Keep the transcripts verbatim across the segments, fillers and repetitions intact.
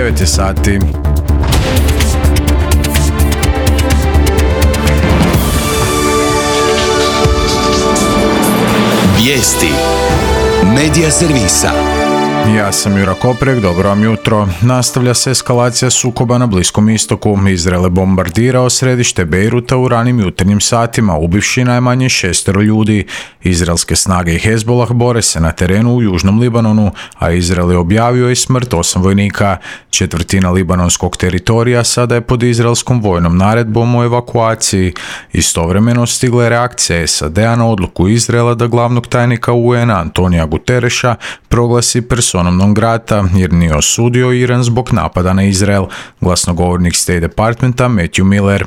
devet je sati. Vijesti Medija servisa. Ja sam Jura Koprek, dobro vam jutro. Nastavlja se eskalacija sukoba na Bliskom istoku. Izrael je bombardirao središte Bejruta u ranim jutarnjim satima, ubivši najmanje šestero ljudi. Izraelske snage i Hezbollah bore se na terenu u južnom Libanonu, a Izrael je objavio i smrt osam vojnika. Četvrtina libanonskog teritorija sada je pod izraelskom vojnom naredbom o evakuaciji. Istovremeno stigla je reakcija S A D-a na odluku Izraela da glavnog tajnika U N-a Antonija Gutereša proglasi personom non grata jer nije osudio Iran zbog napada na Izrael. Glasnogovornik State Departmenta Matthew Miller.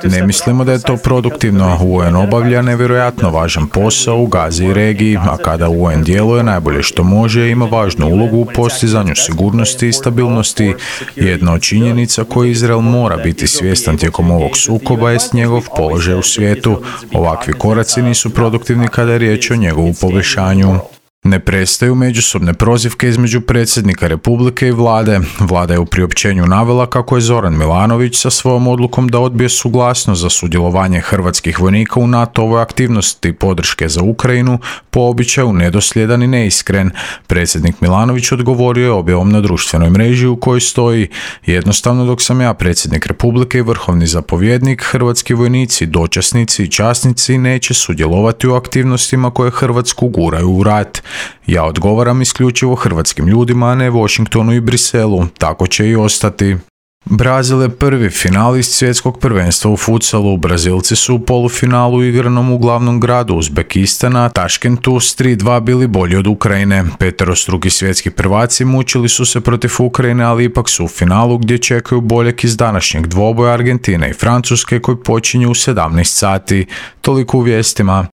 Ne mislimo da je to produktivno. U N obavlja nevjerojatno važan posao u Gazi i regiji, a kada U N djeluje najbolje što može, ima važnu ulogu u postizanju sigurnosti i stabilnosti. Jedna od činjenica koju Izrael mora biti svjestan tijekom ovog sukoba jest njegov položaj u svijetu. Ovakvi koraci nisu produktivni kada je riječ o njegovu poboljšanju. Ne prestaju međusobne prozivke između predsjednika Republike i vlade. Vlada je u priopćenju navela kako je Zoran Milanović sa svojom odlukom da odbije suglasnost za sudjelovanje hrvatskih vojnika u NATO-ovoj aktivnosti podrške za Ukrajinu po običaju nedosljedan i neiskren. Predsjednik Milanović odgovorio je objavom na društvenoj mreži u kojoj stoji: jednostavno dok sam ja predsjednik Republike i vrhovni zapovjednik, hrvatski vojnici, dočasnici i časnici neće sudjelovati u aktivnostima koje Hrvatsku guraju u rat. Ja odgovaram isključivo hrvatskim ljudima, a ne Washingtonu i Briselu. Tako će i ostati. Brazil je prvi finalist svjetskog prvenstva u futsalu. Brazilci su u polufinalu igranom u glavnom gradu Uzbekistana, Taškentu, s tri dva bili bolji od Ukrajine. Peterostruki svjetski prvaci mučili su se protiv Ukrajine, ali ipak su u finalu gdje čekaju boljeg iz današnjeg dvoboja Argentine i Francuske koji počinje u sedamnaest sati. Toliko u vijestima.